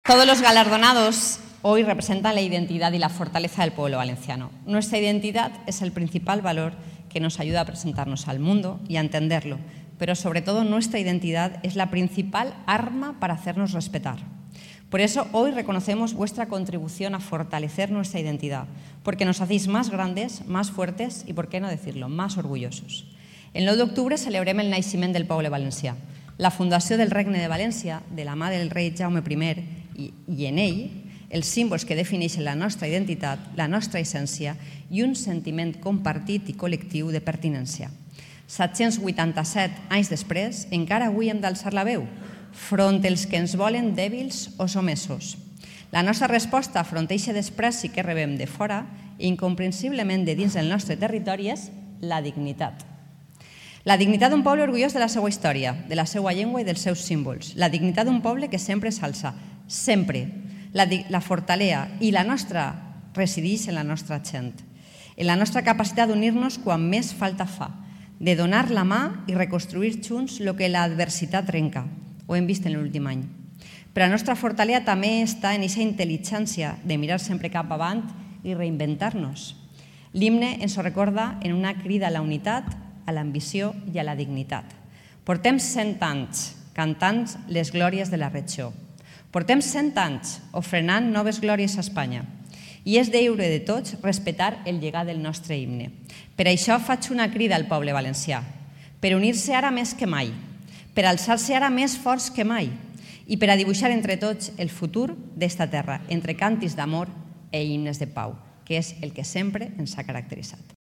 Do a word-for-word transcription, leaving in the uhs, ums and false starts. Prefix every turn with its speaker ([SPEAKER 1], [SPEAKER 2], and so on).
[SPEAKER 1] Todos los galardonados hoy representan la identidad y la fortaleza del pueblo valenciano. Nuestra identidad es el principal valor que nos ayuda a presentarnos al mundo y a entenderlo, pero sobre todo nuestra identidad es la principal arma para hacernos respetar. Por eso hoy reconocemos vuestra contribución a fortalecer nuestra identidad, porque nos hacéis más grandes, más fuertes y, por qué no decirlo, más orgullosos. El nou d'octubre celebrem el naixement del poble valencià, la fundació del Regne de València, de la mà del rei Jaume primer, i, i en ell els símbols que defineixen la nostra identitat, la nostra essència i un sentiment compartit i col·lectiu de pertinència. set-cents vuitanta-set anys després, encara avui hem d'alçar la veu, front els que ens volen dèbils o somesos. La nostra resposta front a aquest despreci que rebem de fora i incomprensiblement de dins del nostre territori és la dignitat. La dignitat d'un poble orgullós de la seva història, de la seva llengua i dels seus símbols. La dignitat d'un poble que sempre s'alça, sempre. La, la fortalea i la nostra resideix en la nostra gent, en la nostra capacitat d'unir-nos quan més falta fa, de donar la mà i reconstruir junts el que l'adversitat trenca. Ho hem vist en l'últim any. Però la nostra fortalea també està en aquesta intel·ligència de mirar sempre cap avant i reinventar-nos. L'himne ens ho recorda en una crida a la unitat, a l'ambició i a la dignitat. Portem cent anys cantant les glòries de la regió. Portem cent anys ofrenant noves glòries a Espanya. I és deure de tots respectar el llegat del nostre himne. Per això faig una crida al poble valencià, per unir-se ara més que mai, per alçar-se ara més forts que mai i per a dibuixar entre tots el futur d'esta terra, entre càntics d'amor i himnes de pau, que és el que sempre ens ha caracteritzat.